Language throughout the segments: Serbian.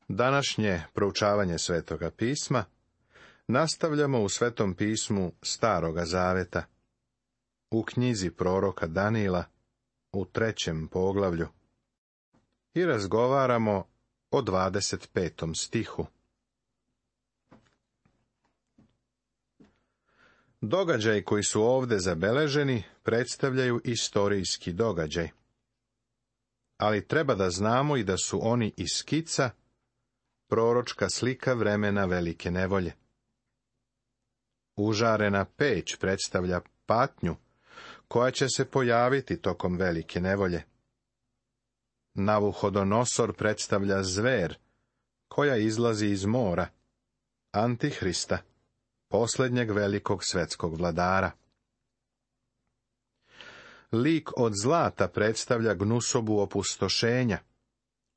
Današnje proučavanje Svetoga pisma nastavljamo u Svetom pismu Staroga zaveta, u knjizi proroka Danila, u 3. poglavlju, i razgovaramo o 25. stihu. Događaji koji su ovdje zabeleženi predstavljaju istorijski događaj, ali treba da znamo i da su oni iz skica, proročka slika vremena velike nevolje. Užarena peć predstavlja patnju koja će se pojaviti tokom velike nevolje. Navuhodonosor predstavlja zver koja izlazi iz mora, Antihrista, posljednjeg velikog svetskog vladara. Lik od zlata predstavlja gnusobu opustošenja,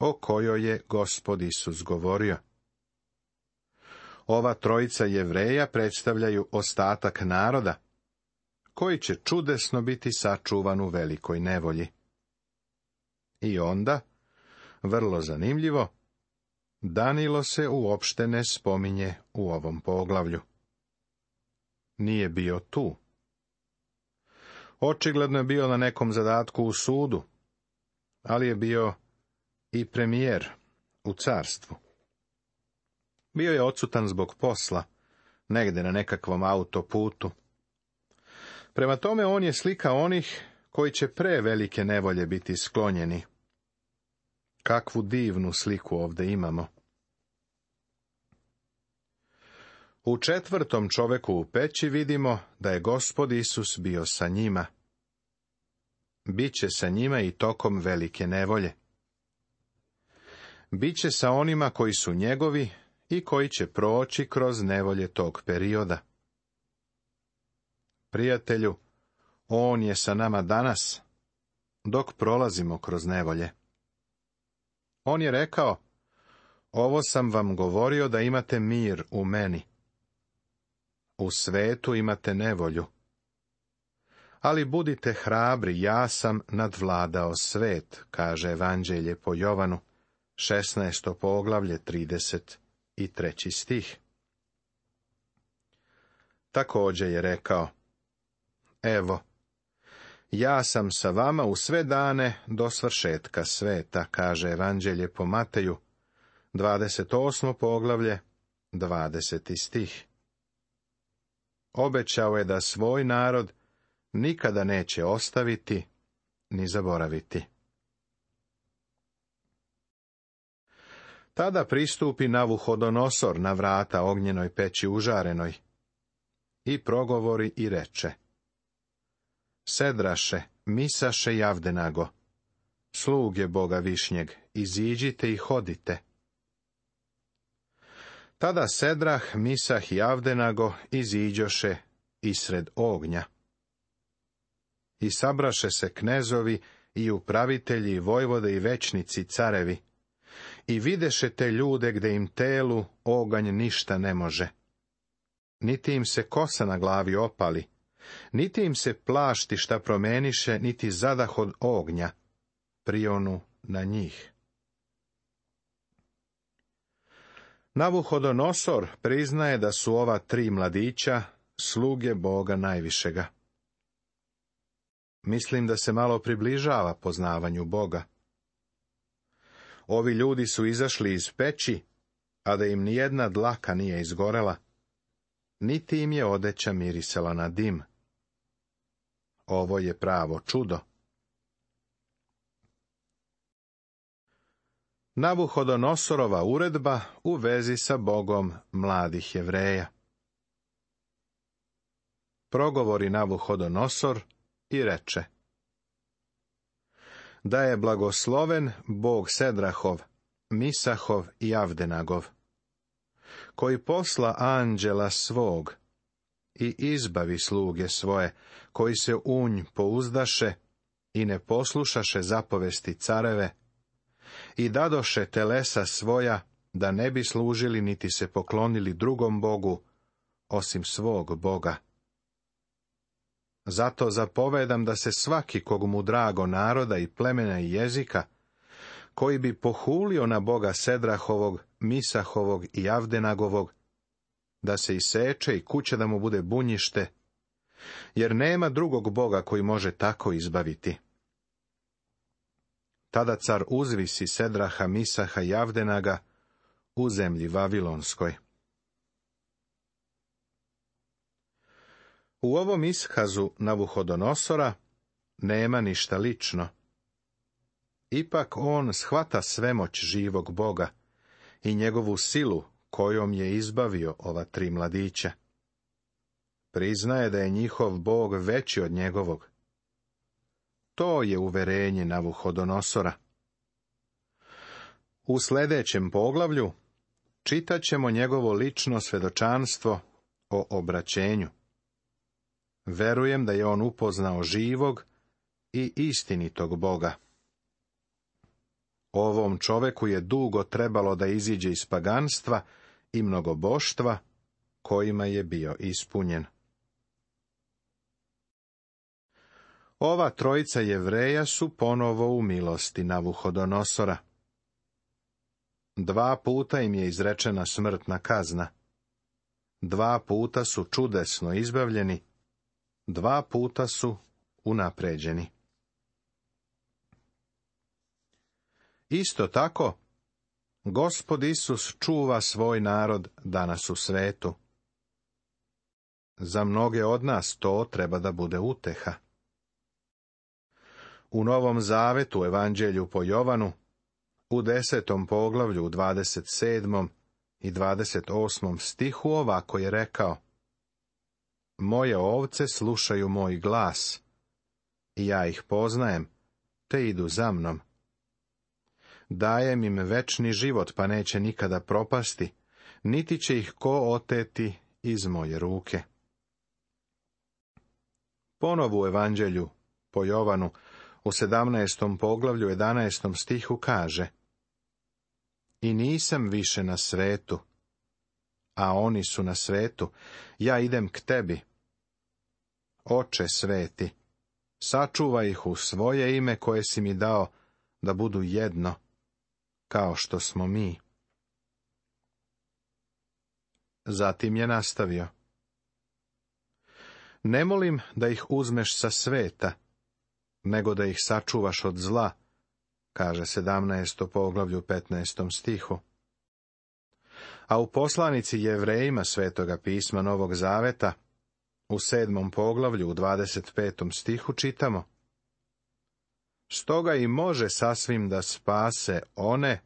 o kojoj je Gospod Isus govorio. Ova trojica Jevreja predstavljaju ostatak naroda, koji će čudesno biti sačuvan u velikoj nevolji. I onda, vrlo zanimljivo, Danilo se uopšte ne spominje u ovom poglavlju. Nije bio tu. Očigledno je bio na nekom zadatku u sudu, ali je bio i premijer u carstvu. Bio je odsutan zbog posla, negde na nekakvom autoputu. Prema tome on je slika onih koji će pre velike nevolje biti sklonjeni. Kakvu divnu sliku ovdje imamo. U 4. čoveku u peći vidimo da je Gospod Isus bio sa njima. Biće sa njima i tokom velike nevolje. Biće sa onima koji su njegovi i koji će proći kroz nevolje tog perioda. Prijatelju, on je sa nama danas, dok prolazimo kroz nevolje. On je rekao, ovo sam vam govorio da imate mir u meni. U svetu imate nevolju. Ali budite hrabri, ja sam nadvladao svet, kaže Evanđelje po Jovanu, 16. poglavlje, 33. stih. Također je rekao, evo, ja sam sa vama u sve dane do svršetka sveta, kaže Evanđelje po Mateju, 28. poglavlje, 20. stih. Obećao je da svoj narod nikada neće ostaviti ni zaboraviti. Tada pristupi Navuhodonosor na vrata ognjenoj peći užarenoj i progovori i reče, Sedraše, Misaše i Avdenago, sluge Boga Višnjeg, iziđite i hodite. Tada Sedrah, Misah i Avdenago iziđoše isred ognja. I sabraše se knezovi i upravitelji, vojvode i većnici, carevi, i videše te ljude gde im telu oganj ništa ne može. Niti im se kosa na glavi opali, niti im se plašti šta promeniše, niti zadah od ognja prionu na njih. Navuhodonosor priznaje da su ova 3 mladića sluge Boga najvišega. Mislim da se malo približava poznavanju Boga. Ovi ljudi su izašli iz peći, a da im nijedna dlaka nije izgorela, niti im je odeća mirisala na dim. Ovo je pravo čudo. Navuhodonosorova uredba u vezi sa Bogom mladih Jevreja. Progovori Navuhodonosor i reče, da je blagosloven Bog Sedrahov, Misahov i Avdenagov, koji posla anđela svog i izbavi sluge svoje, koji se u nj pouzdaše i ne poslušaše zapovesti careve, i dadoše telesa svoja, da ne bi služili niti se poklonili drugom Bogu, osim svog Boga. Zato zapovedam da se svaki kog mu drago naroda i plemena i jezika, koji bi pohulio na Boga Sedrahovog, Misahovog i Avdenagovog, da se iseče i kuća da mu bude bunjište, jer nema drugog Boga koji može tako izbaviti. Tada car uzvisi Sedraha, Misaha i Avdenaga u zemlji Vavilonskoj. U ovom iskazu Navuhodonosora nema ništa lično. Ipak on shvata svemoć živog Boga i njegovu silu kojom je izbavio ova 3 mladića. Priznaje da je njihov Bog veći od njegovog. To je uverenje Navuhodonosora. U sljedećem poglavlju čitat ćemo njegovo lično svjedočanstvo o obraćenju. Verujem da je on upoznao živog i istinitog Boga. Ovom čoveku je dugo trebalo da iziđe iz paganstva i mnogoboštva kojima je bio ispunjen. Ova 3 Jevreja su ponovo u milosti Navuhodonosora. 2 puta im je izrečena smrtna kazna. 2 puta su čudesno izbavljeni, 2 puta su unapređeni. Isto tako, Gospod Isus čuva svoj narod danas u svetu. Za mnoge od nas to treba da bude uteha. U Novom Zavetu, Evanđelju po Jovanu, u 10. poglavlju, u 27. i 28. stihu ovako je rekao: Moje ovce slušaju moj glas, i ja ih poznajem, te idu za mnom. Dajem im večni život, pa neće nikada propasti, niti će ih ko oteti iz moje ruke. Ponovo u Evanđelju po Jovanu, u 17. poglavlju, 11. stihu kaže: I nisam više na svetu, a oni su na svetu, ja idem k tebi. Oče sveti, sačuvaj ih u svoje ime koje si mi dao, da budu jedno, kao što smo mi. Zatim je nastavio: Ne molim da ih uzmeš sa sveta, nego da ih sačuvaš od zla, kaže 17. poglavlju 15. stihu. A u poslanici Jevrejima Svetoga pisma Novog Zaveta, u 7. poglavlju u 25. stihu čitamo: Stoga i može sasvim da spase one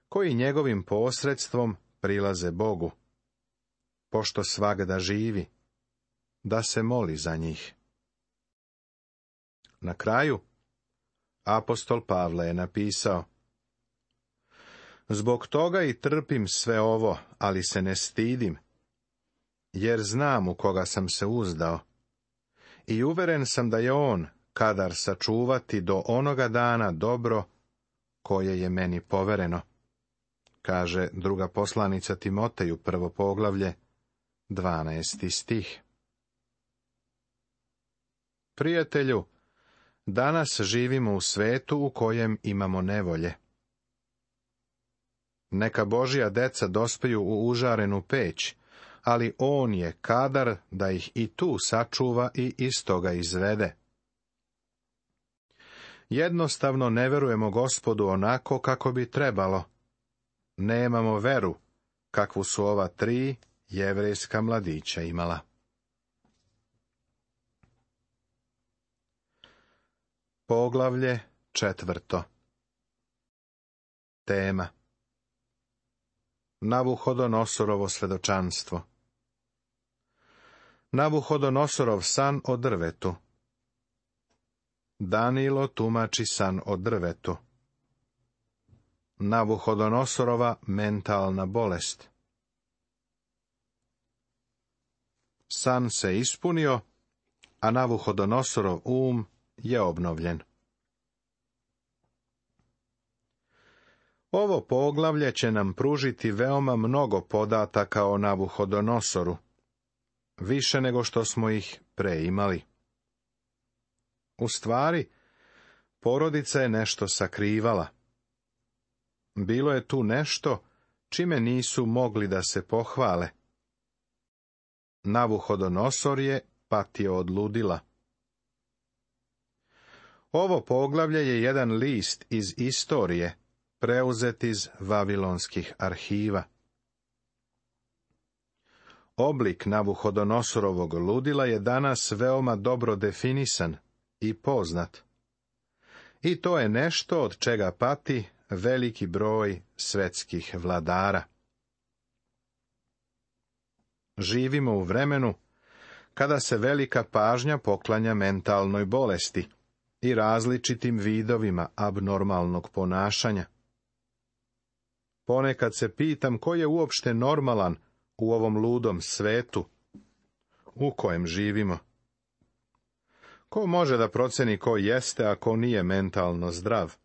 koji njegovim posredstvom prilaze Bogu, pošto svagda živi, da se moli za njih. Na kraju, apostol Pavle je napisao: Zbog toga i trpim sve ovo, ali se ne stidim, jer znam u koga sam se uzdao, i uveren sam da je on kadar sačuvati do onoga dana dobro koje je meni povereno, kaže druga poslanica Timoteju, 1. poglavlje, 12. stih. Prijatelju, danas živimo u svetu u kojem imamo nevolje. Neka Božja deca dospeju u užarenu peć, ali on je kadar da ih i tu sačuva i iz toga izvede. Jednostavno ne verujemo Gospodu onako kako bi trebalo. Nemamo veru kakvu su ova 3 jevrejska mladića imala. Poglavlje 4. Tema: Navuhodonosorovo svjedočanstvo. Navuhodonosorov san o drvetu. Danilo tumači san o drvetu. Navuhodonosorova mentalna bolest. San se ispunio, a Navuhodonosorov je obnovljen. Ovo poglavlje će nam pružiti veoma mnogo podataka o Navuhodonosoru, više nego što smo ih pre imali. U stvari, porodica je nešto sakrivala, bilo je tu nešto čime nisu mogli da se pohvale. Navuhodonosor je patio od ludila. Ovo poglavlje je jedan list iz istorije, preuzet iz vavilonskih arhiva. Oblik Navuhodonosorovog ludila je danas veoma dobro definisan i poznat. I to je nešto od čega pati veliki broj svetskih vladara. Živimo u vremenu kada se velika pažnja poklanja mentalnoj bolesti i različitim vidovima abnormalnog ponašanja. Ponekad se pitam ko je uopšte normalan u ovom ludom svetu u kojem živimo. Ko može da proceni ko jeste, a ko nije mentalno zdrav?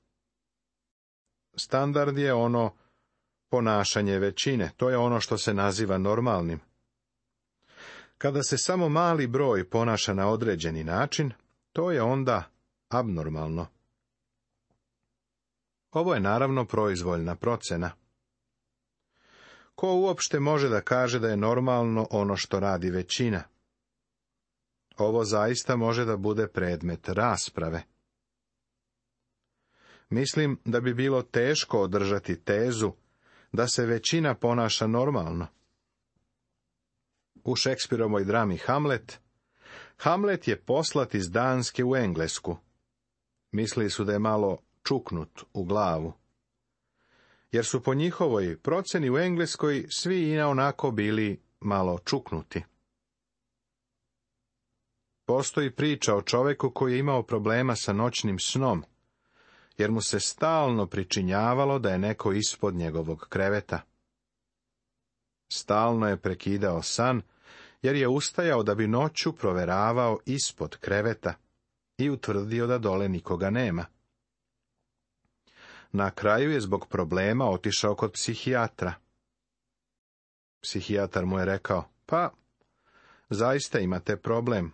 Standard je ono ponašanje većine, to je ono što se naziva normalnim. Kada se samo mali broj ponaša na određeni način, to je onda abnormalno. Ovo je naravno proizvoljna procena. Ko uopšte može da kaže da je normalno ono što radi većina? Ovo zaista može da bude predmet rasprave. Mislim da bi bilo teško održati tezu da se većina ponaša normalno. U Šekspirovoj drami Hamlet, Hamlet je poslat iz Danske u Englesku. Mislili su da je malo čuknut u glavu. Jer su po njihovoj proceni u Engleskoj svi i onako bili malo čuknuti. Postoji priča o čoveku koji je imao problema sa noćnim snom, jer mu se stalno pričinjavalo da je neko ispod njegovog kreveta. Stalno je prekidao san, jer je ustajao da bi noću proveravao ispod kreveta i utvrdio da dole nikoga nema. Na kraju je zbog problema otišao kod psihijatra. Psihijatar mu je rekao, pa, zaista imate problem.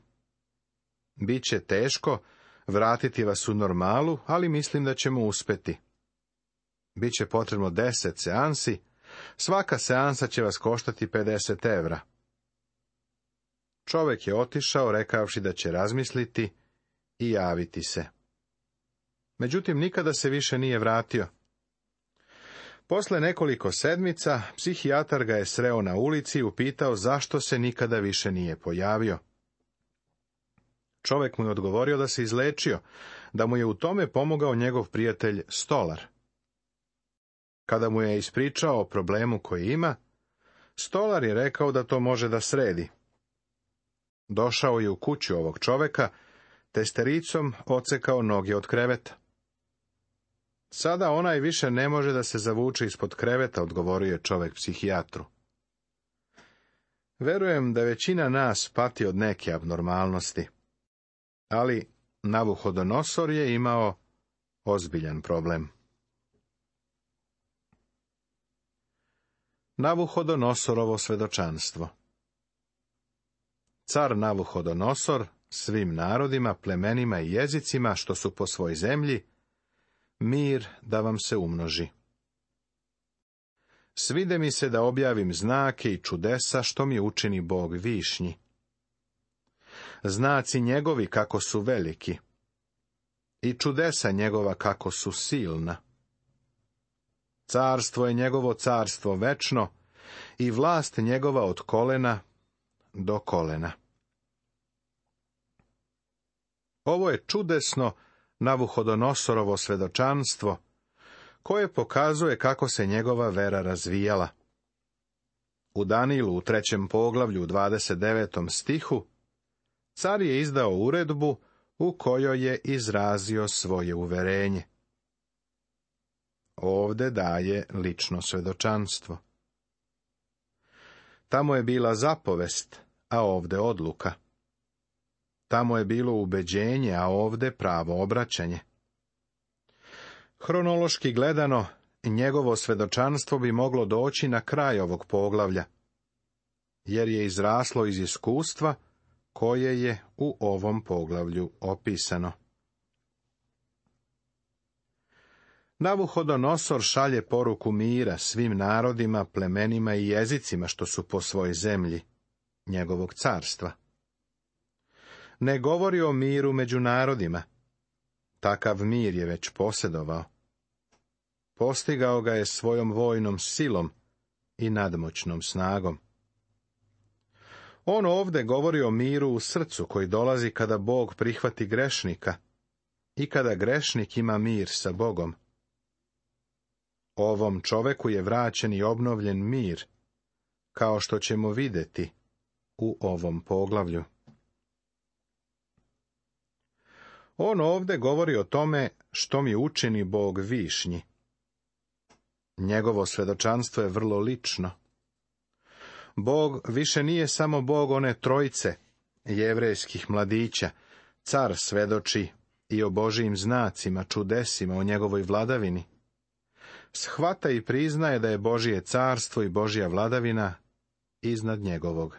Biće teško vratiti vas u normalu, ali mislim da ćemo uspeti. Biće potrebno 10 seansi, svaka seansa će vas koštati 50 evra. Čovek je otišao, rekavši da će razmisliti i javiti se. Međutim, nikada se više nije vratio. Posle nekoliko sedmica, psihijatar ga je sreo na ulici i upitao zašto se nikada više nije pojavio. Čovek mu je odgovorio da se izlečio, da mu je u tome pomogao njegov prijatelj Stolar. Kada mu je ispričao o problemu koji ima, Stolar je rekao da to može da sredi. Došao je u kuću ovog čoveka, testericom odsekao noge od kreveta. Sada onaj više ne može da se zavuče ispod kreveta, odgovorio je čovek psihijatru. Verujem da većina nas pati od neke abnormalnosti, ali Navuhodonosor je imao ozbiljan problem. Navuhodonosorovo svedočanstvo. Car Navuhodonosor svim narodima, plemenima i jezicima što su po svoj zemlji, mir da vam se umnoži. Svide mi se da objavim znake i čudesa što mi učini Bog višnji. Znaci njegovi kako su veliki i čudesa njegova kako su silna. Carstvo je njegovo carstvo večno i vlast njegova od kolena do kolena. Ovo je čudesno Navuhodonosorovo svedočanstvo, koje pokazuje kako se njegova vera razvijala. U Danilu u 3. poglavlju u 29. stihu car je izdao uredbu u kojoj je izrazio svoje uverenje. Ovde daje lično svedočanstvo. Tamo je bila zapovest, a ovde odluka. Tamo je bilo ubeđenje, a ovde pravo obraćanje. Hronološki gledano, njegovo svedočanstvo bi moglo doći na kraj ovog poglavlja, jer je izraslo iz iskustva koje je u ovom poglavlju opisano. Navuhodonosor šalje poruku mira svim narodima, plemenima i jezicima što su po svojoj zemlji, njegovog carstva. Ne govori o miru među narodima. Takav mir je već posjedovao. Postigao ga je svojom vojnom silom i nadmoćnom snagom. On ovdje govori o miru u srcu koji dolazi kada Bog prihvati grešnika i kada grešnik ima mir sa Bogom. Ovom čoveku je vraćen i obnovljen mir, kao što ćemo vidjeti u ovom poglavlju. On ovdje govori o tome što mi učini Bog višnji. Njegovo svjedočanstvo je vrlo lično. Bog više nije samo Bog one trojice jevrejskih mladića. Car svedoči i o Božijim znacima, čudesima, o njegovoj vladavini. Shvata i priznaje da je Božije carstvo i Božja vladavina iznad njegovog.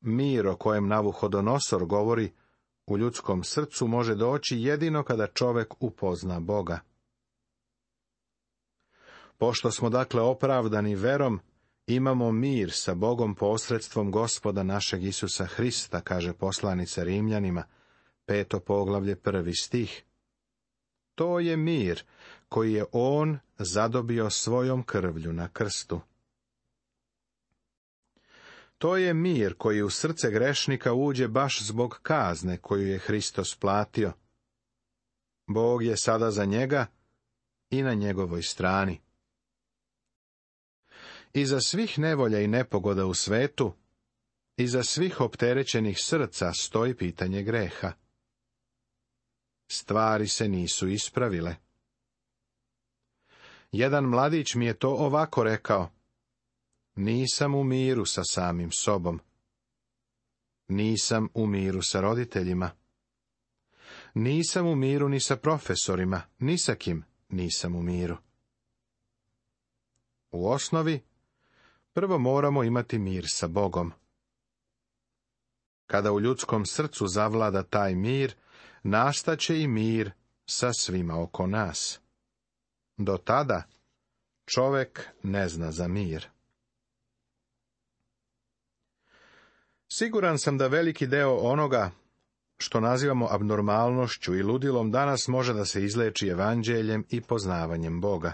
Mir o kojem Navuhodonosor govori u ljudskom srcu može doći jedino kada čovjek upozna Boga. Pošto smo dakle opravdani verom, imamo mir sa Bogom posredstvom Gospoda našeg Isusa Hrista, kaže poslanica Rimljanima, 5. poglavlje, 1. stih. To je mir koji je on zadobio svojom krvlju na krstu. To je mir koji u srce grešnika uđe baš zbog kazne koju je Hristos platio. Bog je sada za njega i na njegovoj strani. Iza svih nevolja i nepogoda u svetu, iza svih opterećenih srca stoji pitanje greha. Stvari se nisu ispravile. Jedan mladić mi je to ovako rekao: nisam u miru sa samim sobom. Nisam u miru sa roditeljima. Nisam u miru ni sa profesorima, ni sa kim nisam u miru. U osnovi, prvo moramo imati mir sa Bogom. Kada u ljudskom srcu zavlada taj mir, nastaće i mir sa svima oko nas. Do tada čovjek ne zna za mir. Siguran sam da veliki deo onoga što nazivamo abnormalnošću i ludilom danas može da se izleči evanđeljem i poznavanjem Boga.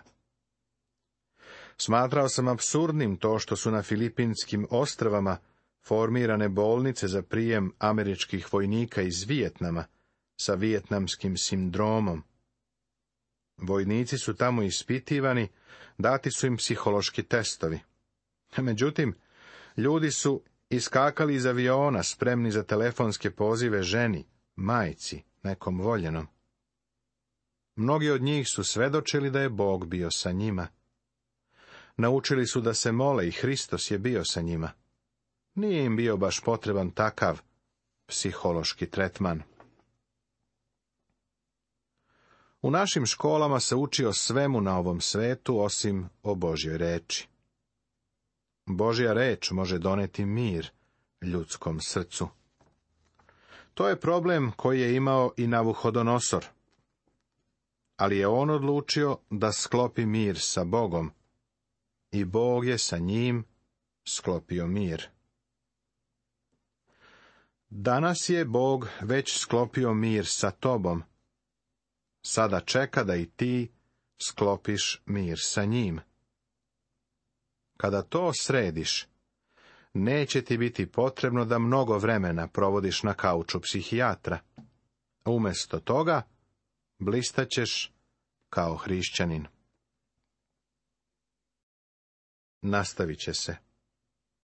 Smatrao sam apsurdnim to što su na Filipinskim ostrvama formirane bolnice za prijem američkih vojnika iz Vijetnama sa vijetnamskim sindromom. Vojnici su tamo ispitivani, dati su im psihološki testovi. Međutim, ljudi su iskakali iz aviona spremni za telefonske pozive ženi, majci, nekom voljenom. Mnogi od njih su svedočili da je Bog bio sa njima. Naučili su da se mole i Hristos je bio sa njima. Nije im bio baš potreban takav psihološki tretman. U našim školama se uči o svemu na ovom svetu osim o Božjoj reči. Božja reč može doneti mir ljudskom srcu. To je problem koji je imao i Navuhodonosor. Ali je on odlučio da sklopi mir sa Bogom. I Bog je sa njim sklopio mir. Danas je Bog već sklopio mir sa tobom. Sada čeka da i ti sklopiš mir sa njim. Kada to središ, neće ti biti potrebno da mnogo vremena provodiš na kauču psihijatra. Umjesto toga, blistaćeš kao hrišćanin. Nastavit će se.